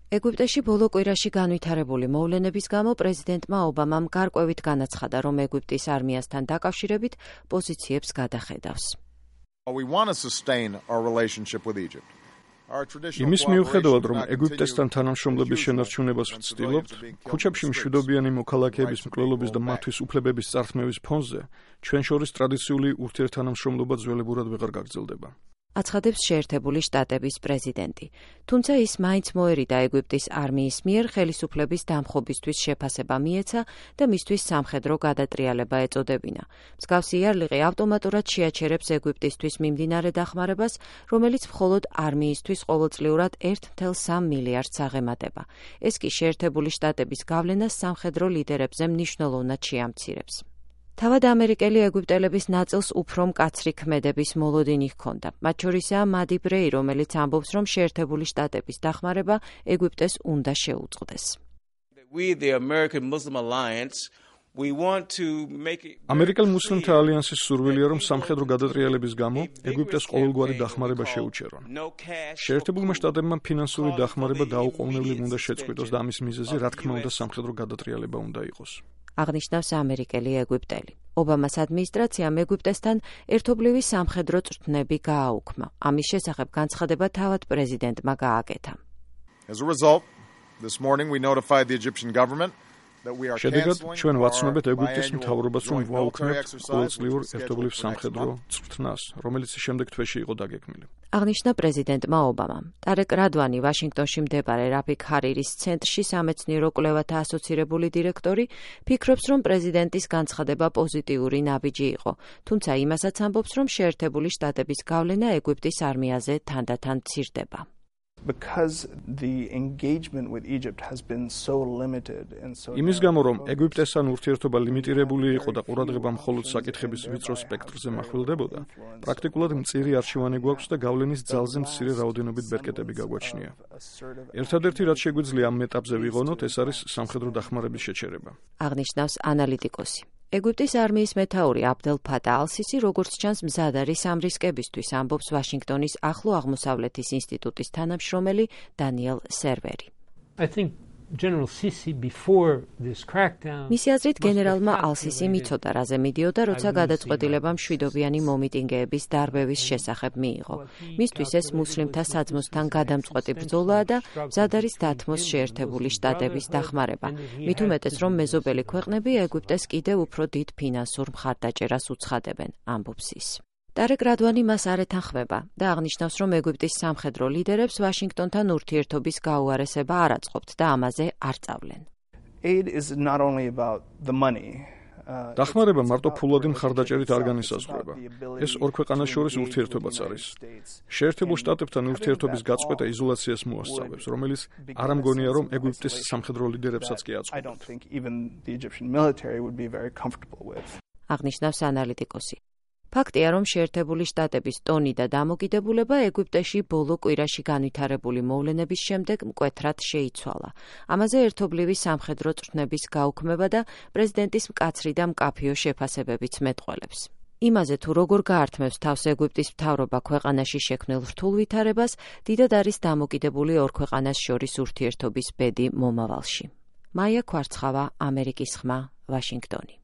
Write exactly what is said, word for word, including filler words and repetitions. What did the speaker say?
ეგვიპტეში ბოლო კვირაში განვითარებული მოვლენების გამო პრეზიდენტმა ობამამ გარკვევით განაცხადა, რომ ეგვიპტის არმიასთან დაკავშირებით პოზიციებს გადახედავს. We want to sustain our relationship with Egypt. იმის მიუხედავად, რომ ეგვიპტესთან თანამშრომლობის შენარჩუნებას ვცდილობთ, ქუჩებში მშვიდობიანი მოქალაქეების მკვლელობის და მათთვის უფლებების წართმევის ფონზე, ჩვენ შორის ტრადიციული ურთიერთთანამშრომლობა ძველებურად ვეღარ გაგრძელდება. აცხადებს შეერთებული შტატების პრეზიდენტი. თუმცა ის მაინც მოერიდა ეგვიპტის არმიის მიერ ხელისუფლების დამხობისთვის შეფასება მიეცა და მისთვის სამხედრო გადატრიალება ეწოდებინა. მსგავსი იარლიყი ავტომატურად შეაჩერებს ეგვიპტისთვის მიმდინარე დახმარებას, რომელიც მხოლოდ არმიისთვის ყოველწლიურად ერთ წუთი სამი მილიარდს აღემატება. ეს კი შეერთებული შტატების გავლენას სამხედრო ლიდერებზე მნიშვნელოვნად შეამცირებს. თავად ამერიკელი ეგვიპტელების ნაწილს უფრო მკაცრი ქმედების მოლოდინი ჰქონდა. მათ შორისაა მადი ბრეი, რომელიც ამბობს, რომ შეერთებული შტატების დახმარება ეგვიპტეს უნდა შეუწყდეს. ამერიკელ მუსლიმთა ალიანსის სურვილია, რომ სამხედრო გადატრიალების გამო ეგვიპტეს ყოველგვარი დახმარება შეუჩერონ. შეერთებულმა შტატებმა ფინანსური დახმარება დაუყოვნებლივ უნდა შეწყვიტოს და ამის მიზეზი, რა თქმა უნდა, სამხედრო გადატრიალება უნდა იყოს. აღნიშნავს ამერიკელი ეგვიპტელი. ობამას ადმინისტრაციამ ეგვიპტესთან ერთობლივი სამხედრო წვრთნები გააუქმა. ამის შესახებ განცხადება თავად პრეზიდენტმა გააკეთა. As a result, this morning we notified the Egyptian government შედეგად ჩვენ ვაცნობთ ეგვიპტის მთავრობას, რომ ვაუქმებთ ყოველწლიურ ერთობლივ სამხედრო წვრთნას, რომელიც შემდეგ თვეში იყო დაგეგმილი. აღნიშნა პრეზიდენტმა ობამამ. ტარეკ რადვანი, ვაშინგტონში მდებარე რაფიქ ჰარირის ცენტრში სამეცნიერო კვლევათა ასოცირებული დირექტორი, ფიქრობს, რომ პრეზიდენტის განცხადება პოზიტიური ნაბიჯი იყო, თუმცა იმასაც ამბობს, რომ შეერთებული შტატების გავლენა ეგვიპტის არმიაზე თანდათან მცირდება. Because the engagement with Egypt has been so limited and so იმის გამო, რომ ეგვიპტესთან ურთიერთობა ლიმიტირებული იყო და ყურადღება მხოლოდ საკითხების ვიწრო სპექტრზე მახვილდებოდა, პრაქტიკულად მწირი არჩევანი გვაქვს და გავლენის ძალზე მცირე რაოდენობით ბერკეტები გაგვაჩნია. ერთადერთი რაც შეგვიძლია ამ ეტაპზე ვიღონოთ, ეს არის სამხედრო დახმარების შეჩერება. აღნიშნავს ანალიტიკოსი. ეგვიპტის არმიის მეთაური აბდელ ფატა ალ-სისი, როგორც ჩანს, მზად არის ამ რისკებისთვის, ამბობს ვაშინგტონის ახლო აღმოსავლეთის ინსტიტუტის თანამშრომელი დანიელ სერვერი. მისი აზრით, გენერალმა ალ-სისიმ იცოდა, რაზე მიდიოდა, როცა გადაწყვეტილება მშვიდობიანი მომიტინგეების დარბევის შესახებ მიიღო. მისთვის ეს მუსლიმთა საძმოსთან გადამწყვეტი ბრძოლაა და მზად არის დათმოს შეერთებული შტატების დახმარება. მით უმეტეს, რომ მეზობელი ქვეყნები ეგვიპტეს კიდევ უფრო დიდ ფინანსურ მხარდაჭერას უცხადებენ, ამბობს ის. ტარეკ რადვანი მას არ ეთანხმება და აღნიშნავს, რომ ეგვიპტის სამხედრო ლიდერებს ვაშინგტონთან ურთიერთობის გაუარესება არ აწყობთ და ამაზე არ სწავლენ. დახმარება მარტო ფულადი მხარდაჭერით არ განისაზღვრება. ეს ორ ქვეყანას შორის ურთიერთობაც არის. შეერთებულ შტატებთან ურთიერთობის გაწყვეტა იზოლაციას მოასწავებს, რომელიც არ ამგონია, რომ ეგვიპტის სამხედრო ლიდერებსაც კი აწყობთ. აღნიშნავს ანალიტიკოსი. ფაქტია, რომ შეერთებული შტატების ტონი და დამოკიდებულება ეგვიპტეში ბოლო კვირაში განვითარებული მოვლენების შემდეგ მკვეთრად შეიცვალა. ამაზე ერთობლივი სამხედრო წვრთნების გაუქმება და პრეზიდენტის მკაცრი და მკაფიო შეფასებებიც მეტყველებს. იმაზე თუ როგორ გაართმევს თავს ეგვიპტის მთავრობა ქვეყანაში შექმნილ რთულ ვითარებას, დიდად არის დამოკიდებული ორ ქვეყანას შორის ურთიერთობის ბედი მომავალში. მაია ქვარცხავა, ამერიკის ხმა, ვაშინგტონი.